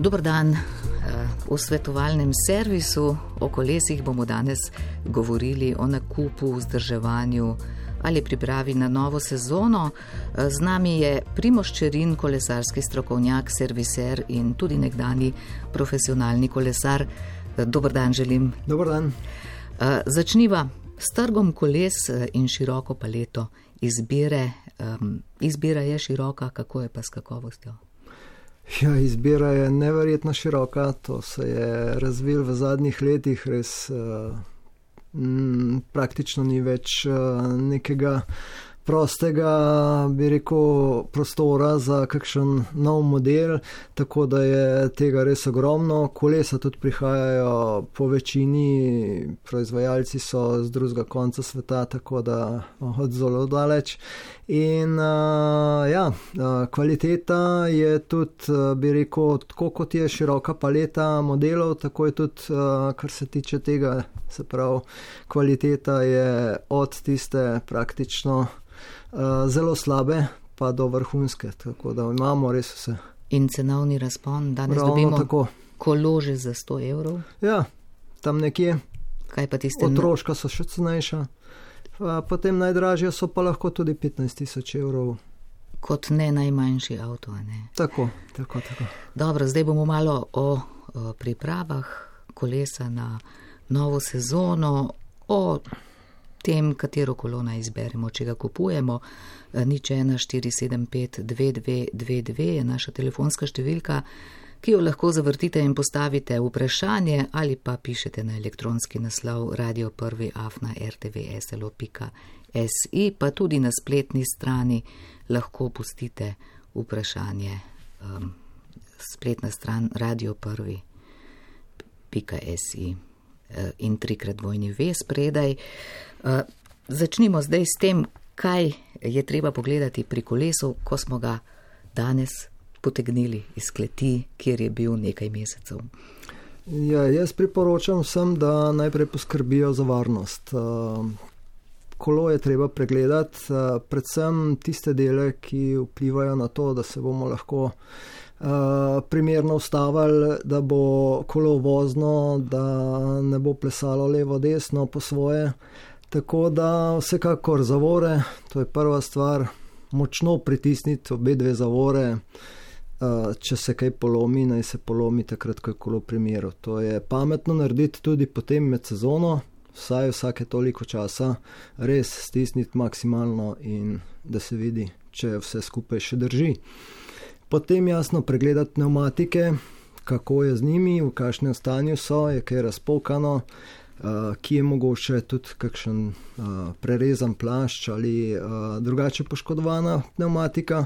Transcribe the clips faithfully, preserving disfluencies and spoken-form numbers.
Dober dan. V svetovalnem servisu o kolesih bomo danes govorili o nakupu, vzdrževanju ali pripravi na novo sezono. Z nami je Primož Čerin, kolesarski strokovnjak, serviser in tudi nekdani profesionalni kolesar. Dober dan želim. Dober dan. Začniva s trgom koles in široko paleto izbire. Izbira je široka, kako je pa s kakovostjo? Ja, izbira je neverjetno široka, to se je razvil v zadnjih letih, res uh, m, praktično ni več uh, nekega prostega, bi rekel, prostora za kakšen nov model, tako da je tega res ogromno. Kolesa tudi prihajajo po večini, proizvajalci so z drugega konca sveta, tako da od zelo daleč. In uh, ja, uh, kvaliteta je tudi, uh, bi rekel, tako kot je široka paleta modelov, tako je tudi, uh, kar se tiče tega, se pravi, kvaliteta je od tiste praktično uh, zelo slabe pa do vrhunske, tako da imamo res vse. In cenovni razpon, danes Ravno dobimo tako. Kolože za sto evrov? Ja, tam nekje. Kaj pa tiste? Otroška so še cenejša. Potem najdražje so pa lahko tudi petnajst tisoč evrov. Kot ne najmanjši avto, ne? Tako, tako, tako. Dobro, zdaj bomo malo o, o pripravah kolesa na novo sezono, o tem, katero kolo naj izberemo, če ga kupujemo. Nič ena štiri sedem pet dve dve dve dve je naša telefonska številka, ki jo lahko zavrtite in postavite vprašanje ali pa pišete na elektronski naslov radio prvi afna r t v s l o pika s i, pa tudi na spletni strani lahko pustite vprašanje. Um, spletna stran radio prvi pika s i in trikrat dvojni ve spredaj. Uh, začnimo zdaj s tem, kaj je treba pogledati pri kolesu, ko smo ga danes potegnili iz kleti, kjer je bil nekaj mesecev. Ja, jaz priporočam vsem, da najprej poskrbijo za varnost. Kolo je treba pregledati, predvsem tiste dele, ki vplivajo na to, da se bomo lahko primerno ustavili, da bo kolo vozno, da ne bo plesalo levo, desno po svoje. Tako da vsekakor zavore, to je prva stvar, močno pritisniti obe dve zavore. Če se kaj polomi, naj se polomi takrat, ko je kolo pri miru. To je pametno narediti tudi potem med sezono, vsaj vsake toliko časa, res stisniti maksimalno in da se vidi, če vse skupaj še drži. Potem jasno pregledati pnevmatike, kako je z njimi, v kakšnem stanju so, je kaj razpokano, ki je mogoče tudi kakšen prerezan plašč ali drugače poškodovana pnevmatika.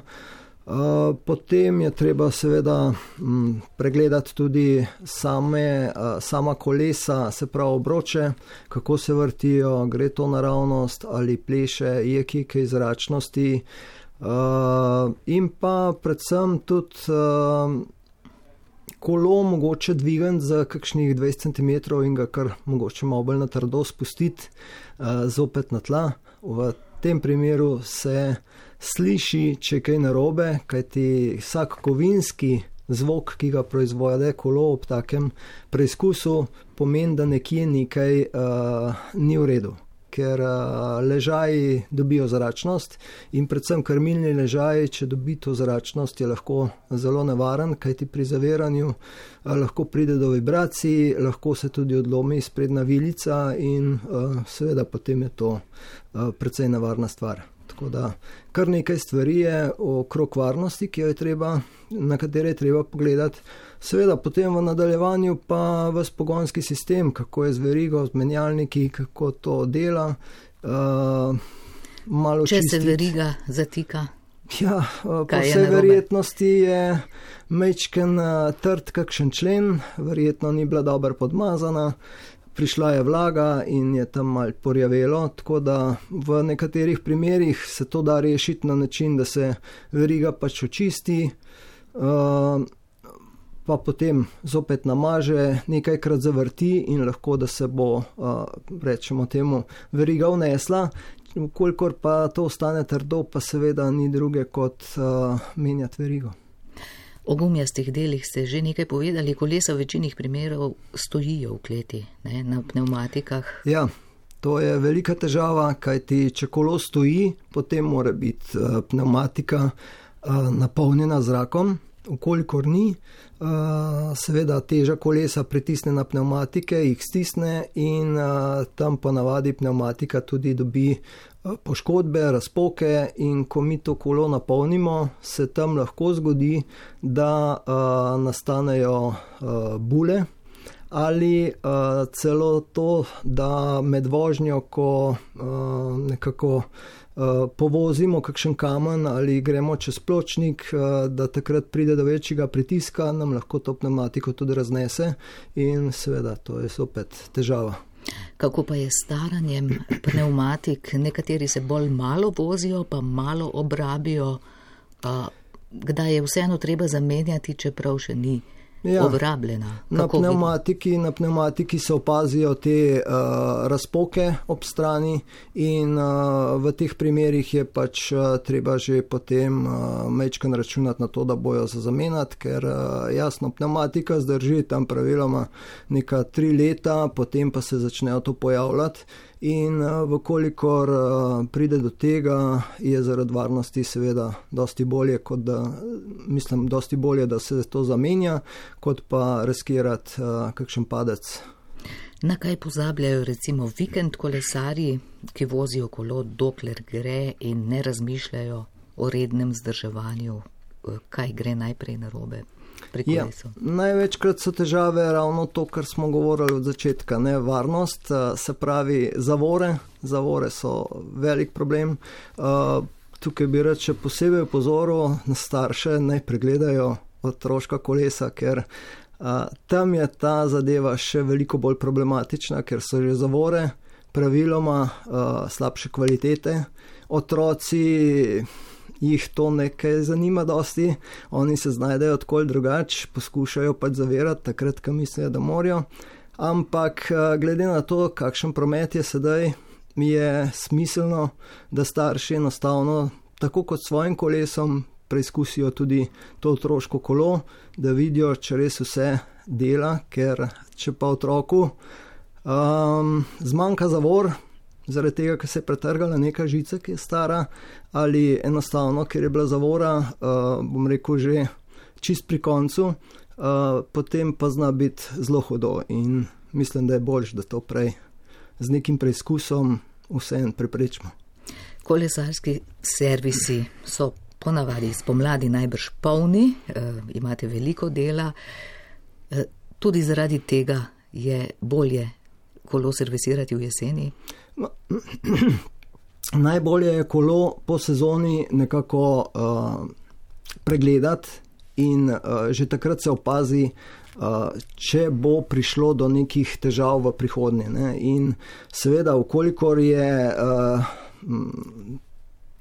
Uh, potem je treba seveda m, pregledati tudi same, uh, sama kolesa, se pravi obroče, kako se vrtijo, gre to naravnost ali pleše, je kaj zračnosti uh, in pa predvsem tudi uh, kolo mogoče dvigati za kakšnih dvajset centimetrov in ga kar mogoče malo bolj na trdo spustiti uh, zopet na tla. V tem primeru se sliši, če kaj narobe, kajti vsak kovinski zvok, ki ga proizvode kolo ob takem preizkusu, pomeni, da nekje nekaj uh, ni v redu, ker uh, ležaji dobijo zračnost in predvsem krmilni ležaj, če dobi to zračnost, je lahko zelo nevaren, kajti pri zaviranju uh, lahko pride do vibracij, lahko se tudi odlomi sprednja vilica in uh, seveda potem je to uh, precej nevarna stvar. Tako da kar nekaj stvari je okrog varnosti, ki jo je treba, na katere je treba pogledati. Seveda potem v nadaljevanju pa ves pogonski sistem, kako je z verigo, z menjalniki, kako to dela. Uh, malo Če čistiti. Se veriga zatika? Ja, po vsej verjetnosti je majčken trd kakšen člen, verjetno ni bila dobro podmazana. Prišla je vlaga in je tam malo porjavelo, tako da v nekaterih primerih se to da rešiti na način, da se veriga pač očisti, pa potem zopet namaže, nekajkrat zavrti in lahko, da se bo, rečemo temu, veriga vnesla. Kolikor pa to ostane trdo, pa seveda ni druge kot menjati verigo. O gumijastih delih ste že nekaj povedali, kolesa v večini primerov stojijo v kleti, ne, na pneumatikah. Ja, to je velika težava, kajti če kolo stoji, potem mora biti uh, pneumatika uh, napolnjena zrakom, ukolikor ni, uh, seveda teža kolesa pritisne na pneumatike, jih stisne in uh, tam ponavadi pneumatika tudi dobi poškodbe, razpoke in ko mi to kolo napolnimo, se tam lahko zgodi, da uh, nastanejo uh, bule ali uh, celo to, da med vožnjo, ko uh, nekako uh, povozimo kakšen kamen ali gremo čez pločnik, uh, da takrat pride do večjega pritiska, nam lahko to pneumatiko tudi raznese in seveda to je zopet težava. Kako pa je staranjem pneumatik? Nekateri se bolj malo vozijo, pa malo obrabijo. Kdaj je vseeno treba zamenjati, čeprav še ni ja, obrabljena? Na pneumatiki, na pneumatiki se opazijo te uh, razpoke ob strani in uh, v teh primerih je pač uh, treba že potem uh, mečkan računati na to, da bojo za zamenjati, ker uh, jasno, pneumatika zdrži tam praviloma neka tri leta, potem pa se začnejo to pojavljati. In vkolikor pride do tega, je zaradi varnosti seveda dosti bolje, kot da, mislim, dosti bolje, da se to zamenja, kot pa riskirati uh, kakšen padec. Na kaj pozabljajo recimo vikend kolesarji, ki vozijo kolo dokler gre in ne razmišljajo o rednem vzdrževanju, kaj gre najprej narobe? Ja, največkrat so težave ravno to, kar smo govorili od začetka, ne, varnost, se pravi zavore, zavore so velik problem. Tukaj bi rad še posebej opozoril na starše, naj pregledajo otroška kolesa, ker tam je ta zadeva še veliko bolj problematična, ker so že zavore praviloma slabše kvalitete. Otroci jih to nekaj zanima dosti, oni se znajdejo odkoli drugač, poskušajo pač zavirati takrat, ko mislijo, da morajo, ampak glede na to, kakšen promet je sedaj, je smiselno, da starši enostavno, tako kot s svojim kolesom, preizkusijo tudi to otroško kolo, da vidijo, če res vse dela, ker če pa otroku um, zmanjka zavor, zaradi tega, ker se je pretrgala neka žica, ki je stara, ali enostavno, ker je bila zavora, uh, bom rekel, že čist pri koncu, uh, potem pa zna biti zelo hudo in mislim, da je boljš, da to prej z nekim preizkusom vseeno preprečimo. Kolesarski servisi so ponavadi spomladi najbrž polni, uh, imate veliko dela, uh, tudi zaradi tega je bolje kolo servisirati v jeseni? No, najbolje je kolo po sezoni nekako uh, pregledati in uh, že takrat se opazi, uh, če bo prišlo do nekih težav v prihodnje. Ne? In seveda, ukolikor je uh,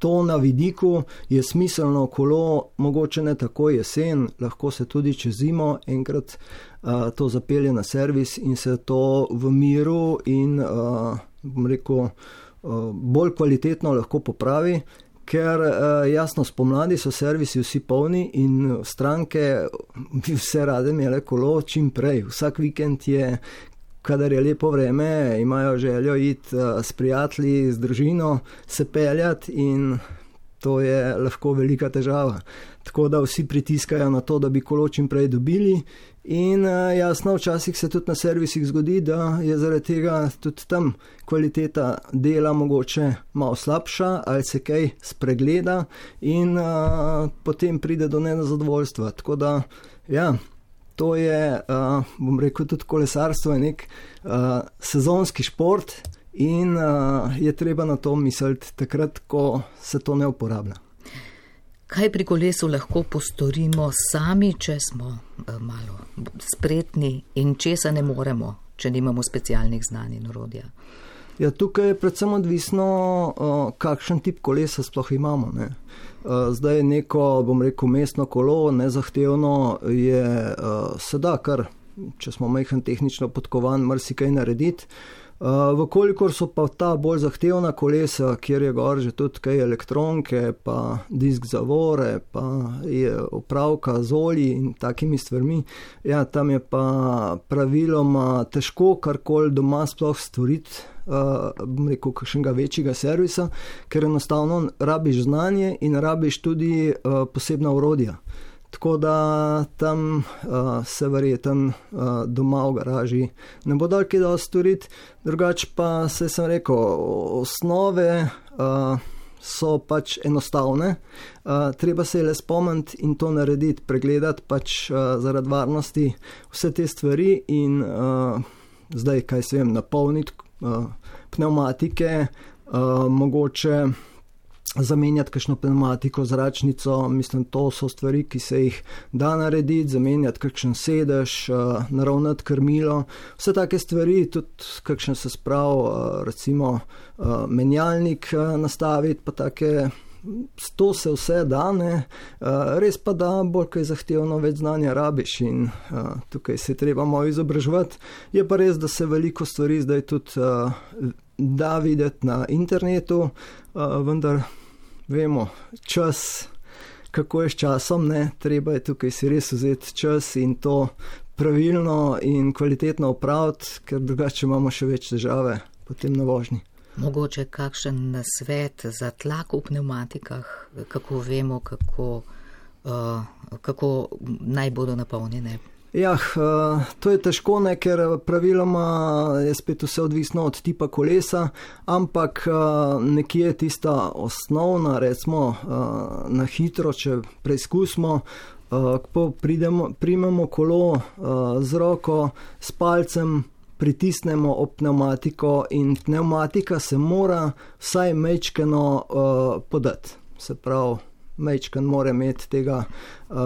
to na vidiku, je smiselno kolo, mogoče ne tako jesen, lahko se tudi čez zimo enkrat uh, to zapelje na servis in se to v miru in uh, bom rekel, bolj kvalitetno lahko popravi, ker jasno, spomladi so servisi vsi polni in stranke bi vse rade imele kolo čim prej. Vsak vikend je, kadar je lepo vreme, imajo željo iti s prijatelji, z družino, se peljati in to je lahko velika težava. Tako da vsi pritiskajo na to, da bi kolo čim prej dobili. In jasno, včasih se tudi na servisih zgodi, da je zaradi tega tudi tam kvaliteta dela mogoče malo slabša ali se kaj spregleda in a, potem pride do nezadovoljstva. Tako da, ja, to je, a, bom rekel, tudi kolesarstvo je nek a, sezonski šport in a, je treba na to misliti takrat, ko se to ne uporablja. Kaj pri kolesu lahko postorimo sami, če smo malo spretni in česa ne moremo, če nimamo specialnih znanj in orodja? Ja, tukaj je predvsem odvisno, kakšen tip kolesa sploh imamo. Ne? Zdaj neko, bom rekel, mestno kolo, nezahtevno je, se da kar, če smo majhen tehnično podkovan, marsikaj narediti. Vkolikor so pa ta bolj zahtevna kolesa, kjer je gor že tudi kaj elektronke, pa disk zavore, pa je opravka z olji in takimi stvarmi, ja, tam je pa praviloma težko karkoli doma sploh stvoriti, uh, bom rekel, kakšnega večjega servisa, ker enostavno rabiš znanje in rabiš tudi uh, posebna orodja. Tako da tam uh, se verjetno uh, doma v garaži ne bo dal kaj dosti storiti, drugače pa se sem rekel, osnove uh, so pač enostavne, uh, treba se je le spomniti in to narediti, pregledati pač uh, zaradi varnosti vse te stvari in uh, zdaj, kaj se vem, napolniti uh, pneumatike, uh, mogoče zamenjati kakšno pneumatiko, zračnico, mislim, to so stvari, ki se jih da narediti, zamenjati kakšen sedež, naravnati krmilo, vse take stvari, tudi kakšen se sprav, recimo menjalnik nastaviti, pa take, to se vse da, ne, res pa da, bolj kaj zahtevno več znanja rabiš in tukaj se treba malo izobraževati. Je pa res, da se veliko stvari zdaj tudi da videti na internetu, vendar vemo, čas, kako je s časom, ne, treba je tukaj si res vzeti čas in to pravilno in kvalitetno opraviti, ker drugače imamo še več težave potem na vožnji. Mogoče kakšen nasvet za tlak v pneumatikah, kako vemo, kako, uh, kako naj bodo napolnjene? Ja, to je težko, ne, ker praviloma je spet vse odvisno od tipa kolesa, ampak nekje je tista osnovna, recimo na hitro, če preizkusimo, ko pridemo, primemo kolo z roko, s palcem pritisnemo ob pneumatiko in pneumatika se mora vsaj majčkeno podati, se pravi, majčken mora imeti tega uh,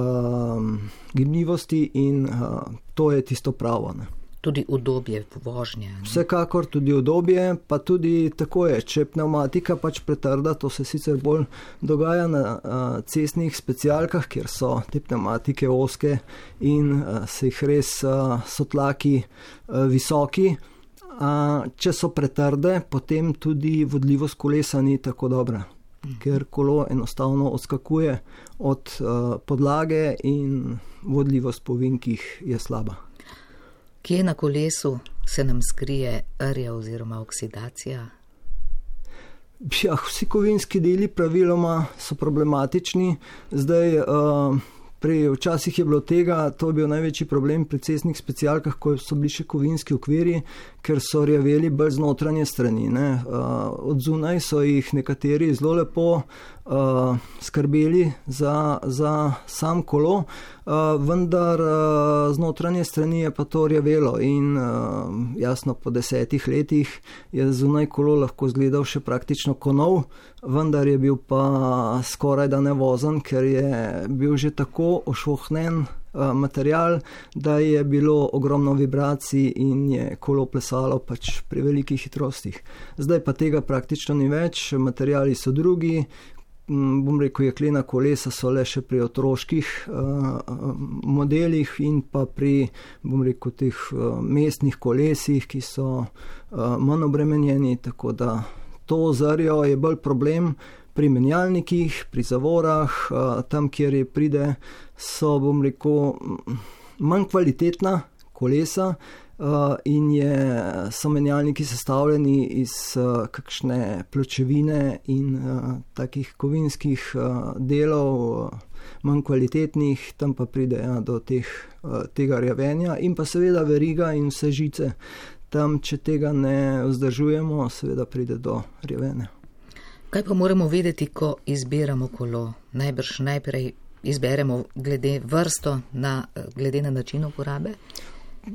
gibljivosti in uh, to je tisto pravo. Ne. Tudi udobje vožnje. Ne? Vsekakor tudi udobje, pa tudi tako je, če pneumatika pač pretrda, to se sicer bolj dogaja na uh, cestnih specialkah, kjer so te pneumatike ozke in uh, se jih res uh, so tlaki uh, visoki. Uh, če so pretrde, potem tudi vodljivost kolesa ni tako dobra. Ker kolo enostavno odskakuje od uh, podlage in vodljivost po vinkih je slaba. Kje na kolesu se nam skrije rja oziroma oksidacija? Ja, vsi kovinski deli praviloma so problematični. Zdaj, uh, Pri, včasih je bilo tega, to je bil največji problem pri cestnih specialkah, ko so bili še kovinski okvirji, ker so rjaveli bolj z notranje strani. Ne. Uh, od zunaj so jih nekateri zelo lepo uh, skrbeli za, za sam kolo, uh, vendar uh, z notranje strani je pa to rjavelo in uh, jasno po desetih letih je zunaj kolo lahko izgledal še praktično kot nov, vendar je bil pa skoraj da nevozen, ker je bil že tako ošvohnen uh, material, da je bilo ogromno vibracij in je kolo plesalo pač pri velikih hitrostih. Zdaj pa tega praktično ni več, materiali so drugi, m, bom rekel, jeklena kolesa so le še pri otroških uh, modelih in pa pri, bom rekel, teh uh, mestnih kolesih, ki so uh, manj obremenjeni, tako da to zarjo je bolj problem pri menjalnikih, pri zavorah, tam, kjer je pride, so, bom rekel, manj kvalitetna kolesa in je, so menjalniki sestavljeni iz kakšne pločevine in takih kovinskih delov, manj kvalitetnih, tam pa pride ja, do teh, tega rjavenja in pa seveda veriga in vse žice. Tam, če tega ne vzdržujemo, seveda pride do rjavene. Kaj pa moramo vedeti, ko izbiramo kolo? Najbrž najprej izberemo glede vrsto, na, glede na način uporabe?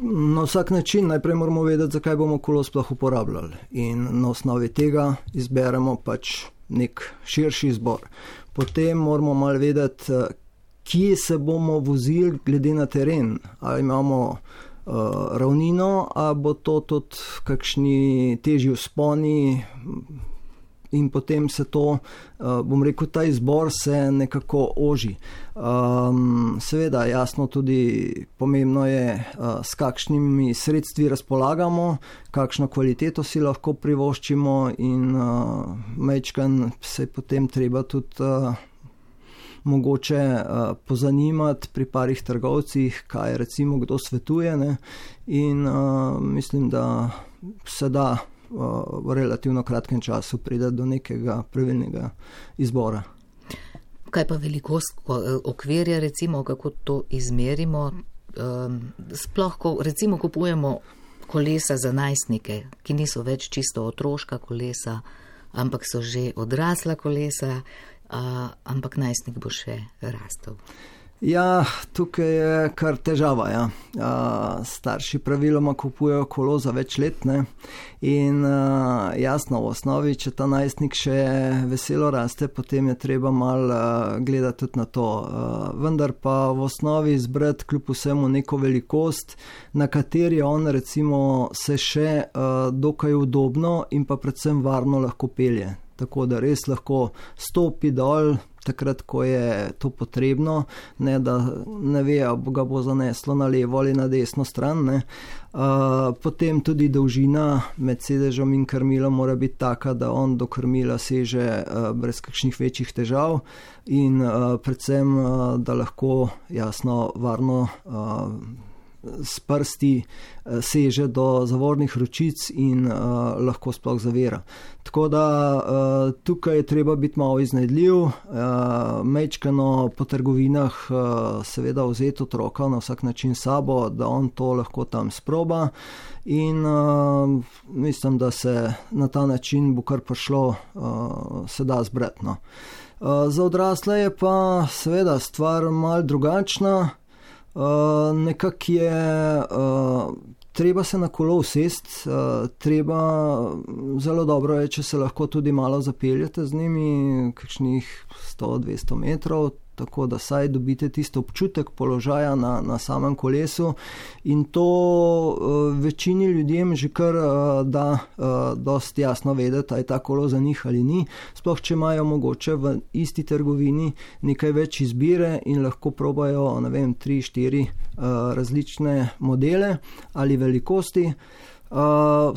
Na vsak način najprej moramo vedeti, zakaj bomo kolo sploh uporabljali. In na osnovi tega izberemo pač nek širši izbor. Potem moramo malo vedeti, kje se bomo vozili glede na teren. Ali imamo Uh, ravnino, a bo to tudi kakšni težji vzponi, in potem se to, bom rekel, ta izbor se nekako oži. Um, seveda, jasno tudi pomembno je, uh, s kakšnimi sredstvi razpolagamo, kakšno kvaliteto si lahko privoščimo in uh, majčkan se potem treba tudi uh, mogoče uh, pozanimati pri parih trgovcih, kaj recimo kdo svetuje, ne? In uh, mislim, da se da uh, v relativno kratkem času pride do nekega pravilnega izbora. Kaj pa velikost okvirja, recimo, kako to izmerimo? Um, sploh, ko recimo kupujemo kolesa za najstnike, ki niso več čisto otroška kolesa, ampak so že odrasla kolesa, uh, ampak najstnik bo še rastel. Ja, tukaj je kar težava. Ja. Uh, starši praviloma kupujejo kolo za več let, ne? In uh, jasno, v osnovi, če ta najstnik še veselo raste, potem je treba malo uh, gledati tudi na to. Uh, vendar pa v osnovi izbrati kljub vsemu neko velikost, na kateri on recimo se še uh, dokaj udobno in pa predvsem varno lahko pelje. Tako da res lahko stopi dol, takrat, ko je to potrebno, ne da ne ve, ga bo zaneslo na levo ali na desno stran. Ne. Uh, potem tudi dolžina med sedežem in krmilom mora biti taka, da on do krmila seže uh, brez kakšnih večjih težav in uh, predvsem, uh, da lahko jasno varno uh, s prsti seže do zavornih ročic in uh, lahko sploh zavira. Tako da uh, tukaj je treba biti malo iznajdljiv, uh, majčkano po trgovinah uh, seveda vzeti otroka na vsak način sabo, da on to lahko tam sproba in uh, mislim, da se na ta način bo kar prišlo, uh, se da zbrati. No. Uh, za odrasle je pa seveda stvar malo drugačna. Uh, nekak je, uh, treba se na kolo usest, uh, treba, zelo dobro je, če se lahko tudi malo zapeljete z njimi, kakšnih sto do dvesto metrov, tako da saj dobite tisto občutek položaja na, na samem kolesu in to uh, večini ljudem že kar uh, da uh, dosti jasno vedeti, aj ta kolo za njih ali ni, sploh če imajo mogoče v isti trgovini nekaj več izbire in lahko probajo, ne vem, tri, štiri uh, različne modele ali velikosti. Uh,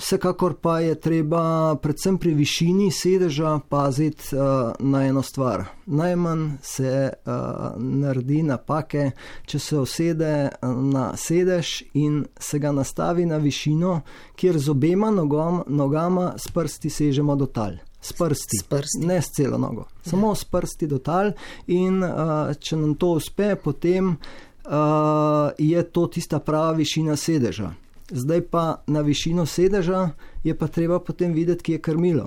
vsekakor pa je treba predvsem pri višini sedeža paziti uh, na eno stvar. Najmanj se uh, naredi napake, če se usede na sedež in se ga nastavi na višino, kjer z obema nogom, nogama s prsti sežemo do tal. S prsti, s prsti. Ne s celo nogo. Samo ja. S prsti do tal in uh, če nam to uspe, potem uh, je to tista prava višina sedeža. Zdaj pa na višino sedeža je pa treba potem videti, kje je krmilo.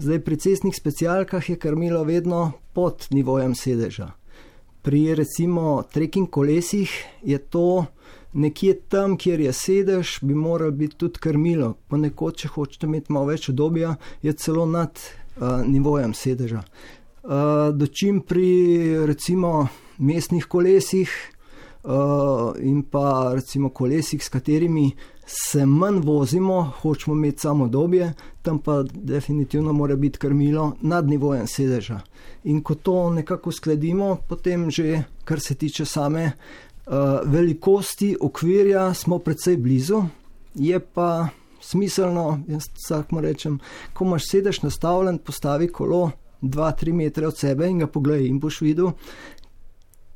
Zdaj pri cestnih specialkah je krmilo vedno pod nivojem sedeža. Pri recimo trekking kolesih je to nekje tam, kjer je sedež, bi moral biti tudi krmilo. Ponekod, če hočete imeti malo več udobja, je celo nad uh, nivojem sedeža. Uh, dočim pri recimo mestnih kolesih Uh, in pa recimo kolesih, s katerimi se manj vozimo, hočemo imeti samo udobje, tam pa definitivno mora biti krmilo nad nivojem sedeža. In ko to nekako uskladimo, potem že, kar se tiče same uh, velikosti okvirja, smo precej blizu. Je pa smiselno, jaz vsakmu rečem, ko imaš sedež nastavljen, postavi kolo dva do tri metre od sebe in ga pogledaj in boš videl,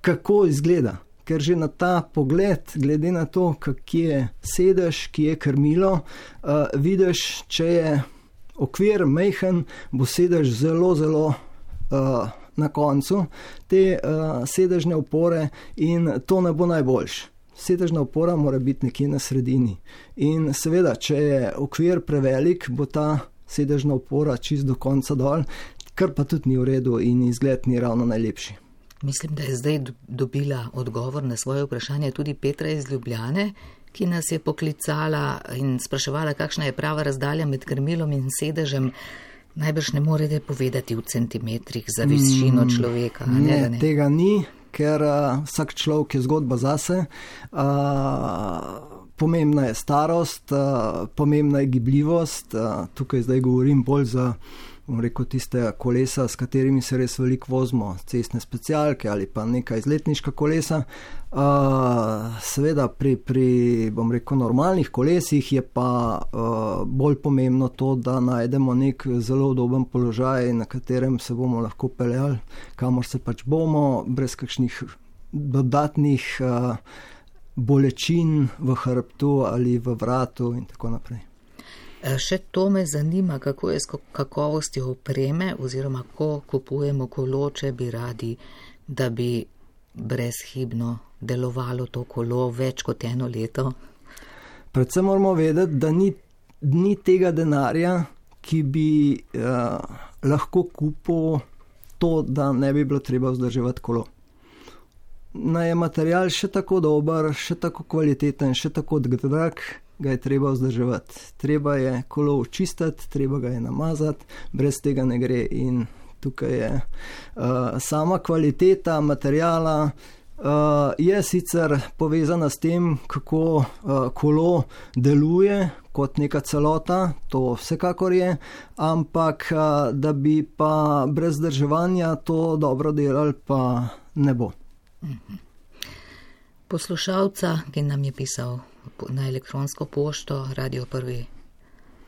kako izgleda. Ker že na ta pogled, glede na to, kje je sedež, kje je krmilo, uh, vidiš, če je okvir majhen, bo sedež zelo, zelo uh, na koncu te uh, sedežne opore in to ne bo najboljš. Sedežna opora mora biti nekje na sredini. In seveda, če je okvir prevelik, bo ta sedežna opora čist do konca dol, kar pa tudi ni v redu in izgled ni ravno najlepši. Mislim, da je zdaj dobila odgovor na svoje vprašanje tudi Petra iz Ljubljane, ki nas je poklicala in spraševala, kakšna je prava razdalja med krmilom in sedežem. Najbrž ne morete povedati v centimetrih za višino človeka. Mm, ne, ne, tega ni, ker uh, vsak človek je zgodba zase. Uh, pomembna je starost, uh, pomembna je gibljivost. Uh, tukaj zdaj govorim bolj za bom rekel, tiste kolesa, s katerimi se res veliko vozimo, cestne specialke ali pa neka izletniška kolesa. Uh, seveda pri, pri, bom rekel, normalnih kolesih je pa uh, bolj pomembno to, da najdemo nek zelo udoben položaj, na katerem se bomo lahko peljali, kamor se pač bomo, brez kakšnih dodatnih uh, bolečin v hrbtu ali v vratu in tako naprej. Še to me zanima, kako je s kakovostjo opreme oziroma ko kupujemo kolo, če bi radi, da bi brezhibno delovalo to kolo več kot eno leto. Predvsem moramo vedeti, da ni, ni tega denarja, ki bi uh, lahko kupil to, da ne bi bilo treba vzdrževati kolo. Naj je material še tako dober, še tako kvaliteten, še tako drag, ga je treba vzdrževati. Treba je kolo očistiti, treba ga je namazati, brez tega ne gre. In tukaj je uh, sama kvaliteta materijala uh, je sicer povezana s tem, kako uh, kolo deluje kot neka celota, to vsekakor je, ampak uh, da bi pa brez vzdrževanja to dobro delali, pa ne bo. Poslušalca, ki nam je pisal na elektronsko pošto Radio prvi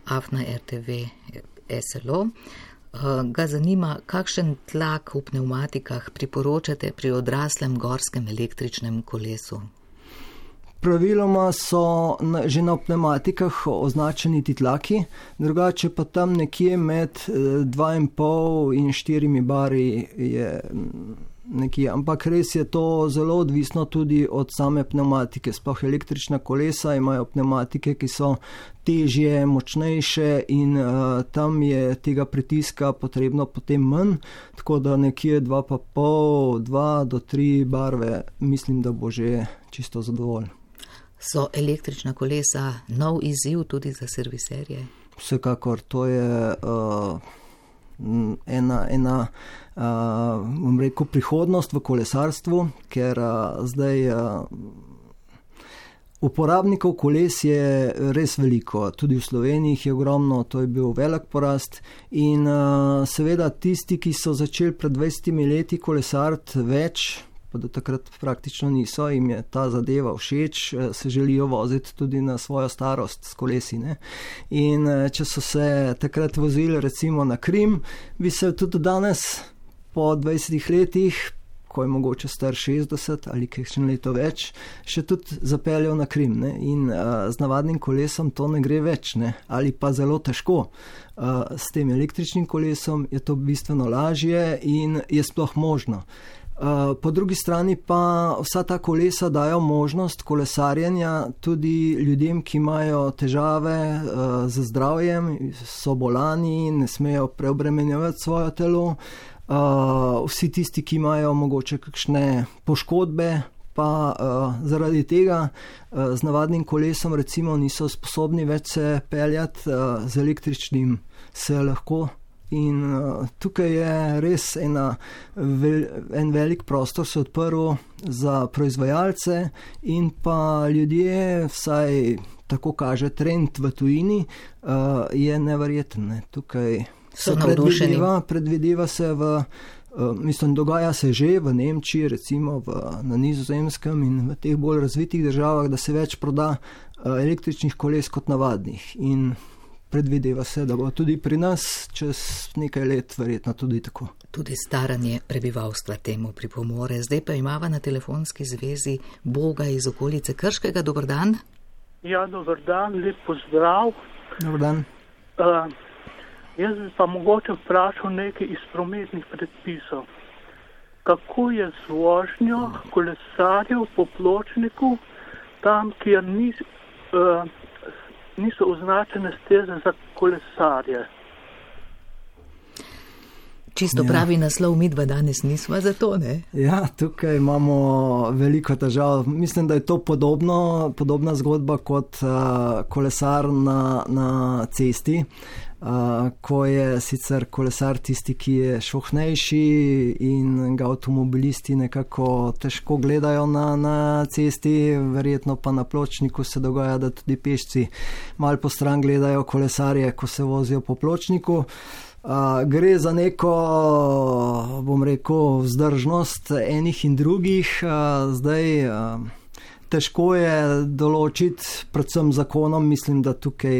afna R T V S L O, ga zanima, kakšen tlak v pneumatikah priporočate pri odraslem gorskem električnem kolesu? Praviloma so na, že na pneumatikah označeni ti tlaki, drugače pa tam nekje med dva in pol in štirimi bari je nekje, ampak res je to zelo odvisno tudi od same pneumatike. Sploh električna kolesa imajo pneumatike, ki so težje, močnejše in uh, tam je tega pritiska potrebno potem manj, tako da nekje dva pa pol, dva do tri barve, mislim, da bo že čisto zadovolj. So električna kolesa nov izziv tudi za serviserje? Vsekakor, to je uh, ena, ena uh, bom rekel, prihodnost v kolesarstvu, ker uh, zdaj uh, uporabnikov koles je res veliko. Tudi v Sloveniji jih je ogromno, to je bil velik porast in uh, seveda tisti, ki so začeli pred dvajsetimi leti kolesariti več, pa do takrat praktično niso, jim je ta zadeva všeč, se želijo voziti tudi na svojo starost s kolesi. Ne? In če so se takrat vozili recimo na Krim, bi se tudi danes po dvajsetih letih, ko je mogoče star šestdeset ali kakšen leto več, še tudi zapeljal na Krim. Ne? In uh, z navadnim kolesom to ne gre več, ne? Ali pa zelo težko. Uh, s tem električnim kolesom je to bistveno lažje in je sploh možno. Uh, po drugi strani pa vsa ta kolesa dajo možnost kolesarjenja tudi ljudem, ki imajo težave uh, z zdravjem, so bolani, ne smejo preobremenjevati svoje telo. Uh, vsi tisti, ki imajo mogoče kakšne poškodbe, pa uh, zaradi tega uh, z navadnim kolesom recimo niso sposobni več se peljati, uh, z električnim se lahko. In uh, tukaj je res ena, vel, en velik prostor se odprl za proizvajalce in pa ljudje, vsaj tako kaže trend v tujini, uh, je neverjeten. Ne. Tukaj se predvideva, predvideva se v, uh, mislim, dogaja se že v Nemčiji, recimo v, na Nizozemskem in v teh bolj razvitih državah, da se več proda uh, električnih koles kot navadnih. In predvideva se, da bo tudi pri nas čez nekaj let verjetno tudi tako. Tudi staranje prebivalstva temu pripomore. Zdaj pa imava na telefonski zvezi Boga iz okolice Krškega. Dober dan. Ja, dober dan, lep pozdrav. Dober dan. Uh, jaz bi pa mogoče vprašal nekaj iz prometnih predpisov. Kako je z vožnjo kolesarjev po pločniku tam, kjer ni... Uh, niso označene steze za kolesarje. Čisto ja. Pravi naslov, mi dva danes nismo za to, ne? Ja, tukaj imamo veliko težav. Mislim, da je to podobno, podobna zgodba kot uh, kolesar na, na cesti, uh, ko je sicer kolesar tisti, ki je šohnejši in ga avtomobilisti nekako težko gledajo na, na cesti, verjetno pa na pločniku se dogaja, da tudi pešci malo po stran gledajo kolesarje, ko se vozijo po pločniku. Uh, gre za neko, bom rekel, vzdržnost enih in drugih. Uh, zdaj uh, težko je določiti, predvsem zakonom, mislim, da tukaj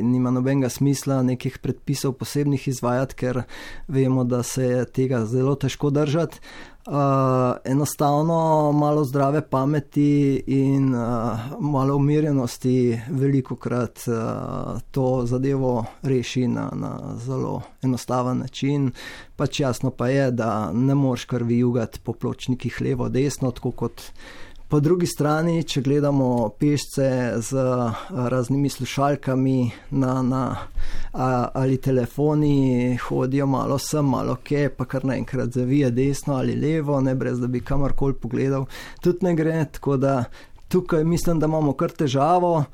nima nobenega smisla nekih predpisov posebnih izvajati, ker vemo, da se je tega zelo težko držati. Uh, enostavno malo zdrave pameti in uh, malo umirjenosti velikokrat uh, to zadevo reši na, na zelo enostaven način. Pač jasno pa je, da ne moreš kar vijugati po pločnikih levo, desno, tako kot po drugi strani, če gledamo pešce z raznimi slušalkami na, na, a, ali telefoni, hodijo malo sem, malo kje, pa kar naenkrat zavije desno ali levo, ne brez da bi kamorkoli pogledal. Tudi ne gre, tako da tukaj mislim, da imamo kar težavo,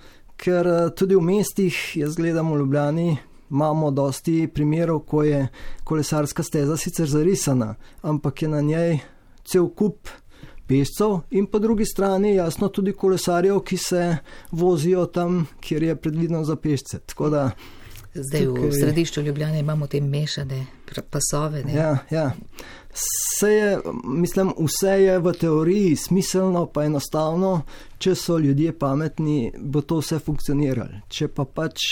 ker tudi v mestih, jaz gledam v Ljubljani, imamo dosti primerov, ko je kolesarska steza sicer zarisana, ampak je na njej cel kup pešcev in po drugi strani jasno tudi kolesarjev, ki se vozijo tam, kjer je predvideno za pešce. Tako da zdaj tukaj v središču Ljubljane imamo te mešane pasove. Ne? Ja, ja. Vse je, mislim, vse je v teoriji smiselno, pa enostavno, če so ljudje pametni, bo to vse funkcioniralo. Če pa pač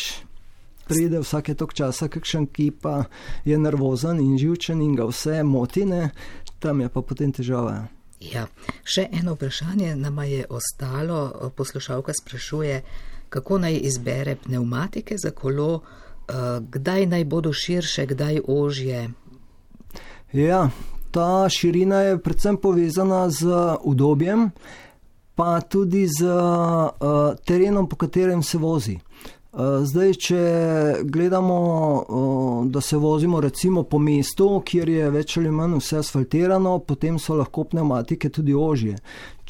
pride vsake tok časa kakšen, ki pa je nervozen in živčen in ga vse motine, tam je pa potem težava. Ja, še eno vprašanje nama je ostalo. Poslušalka sprašuje, kako naj izbere pnevmatike za kolo, kdaj naj bodo širše, kdaj ožje. Ja, ta širina je predvsem povezana z udobjem, pa tudi z uh, terenom, po katerem se vozi. Zdaj, če gledamo, da se vozimo recimo po mestu, kjer je več ali manj vse asfaltirano, potem so lahko pnevmatike tudi ožje.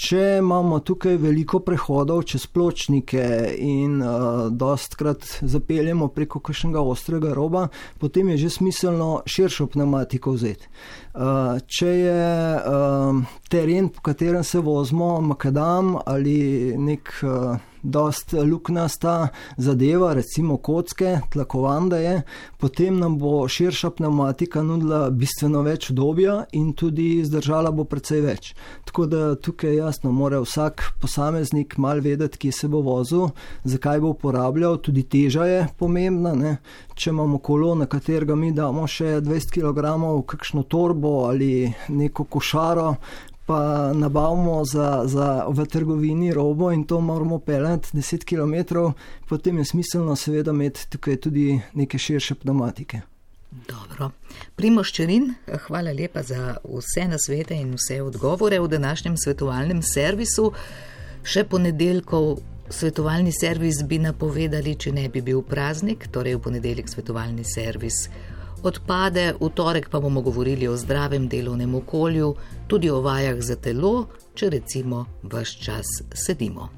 Če imamo tukaj veliko prehodov čez pločnike in uh, dostkrat zapeljemo preko kakšnega ostrega roba, potem je že smiselno širšo pnevmatiko vzeti. Uh, če je uh, teren, po katerem se vozimo, makadam ali nek uh, dost luknasta zadeva, recimo kocke, tlakovanda je, potem nam bo širša pnevmatika nudila bistveno več udobja in tudi zdržala bo precej več. Tako da tukaj jasno mora vsak posameznik mal vedeti, kje se bo vozil, zakaj bo uporabljal, tudi teža je pomembna, ne? Če imamo kolo, na katerega mi damo še dvajset kilogramov, kakšno torbo ali neko košaro, pa nabavimo za, za v trgovini robo in to moramo peljati deset kilometrov, potem je smiselno seveda imeti tukaj tudi neke širše pneumatike. Dobro. Primož Čerin, hvala lepa za vse nasvete in vse odgovore v današnjem svetovalnem servisu. Še ponedeljkov svetovalni servis bi napovedali, če ne bi bil praznik, torej v ponedeljek svetovalni servis odpade, v torek pa bomo govorili o zdravem delovnem okolju, tudi o vajah za telo, če recimo ves čas sedimo.